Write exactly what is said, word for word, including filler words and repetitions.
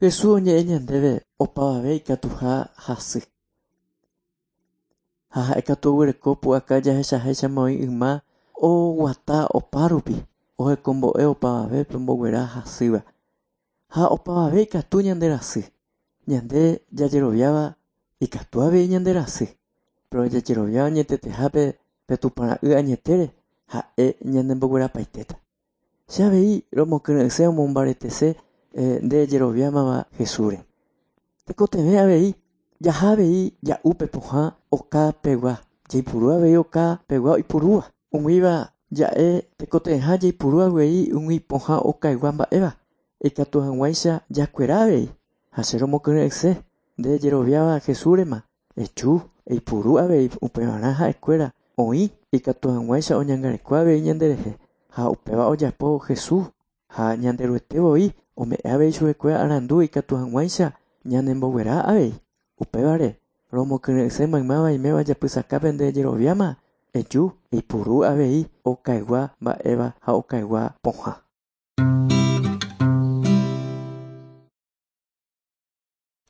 Jesús oñe'ẽ ñandéve opavave ikatuha hasy. Ha ha'ékatu oguereko pu'aka jahechaháichama oĩ yma oguata opárupi ohekombo'e opavavépe omboguera hasýva. Ha opavave ikatu ñanderasy. Ñande jajeroviáva ikatu avei ñanderasy. Pero jajeroviáva añetetehápe pe Tupãra'y añetére ha'e ñanemboguerapaitéta. Che avei romokyre'ỹse omombaretese nde jeroviámava Jesúsre. Tekotevẽ avei jaha avei ja'úpe pohã okapegua jaipuru avei okapegua oipurúva. Umíva ja'e tekotevẽha jaipuru avei umi pohã okaygua mba'éva ikatu hag̃uáicha jakuera avei ha che romokyre'ỹse nde jeroviáva Jesúsrema eju eipuru avei upevarã ha'ekuéra oĩ ikatu hag̃uáicha oñangareko avei ñanderehe ha upéva ojapo Jesús ha Ñanderuete voi ome'ẽ avei chupekuéra arandu ikatu hag̃uáicha ñanemboguera avei. Upévare romokyre'ỹse maymáva iméva japysakápe nde jeroviáma eju eipuru avei okaygua mba'éva ha okaygua pohã.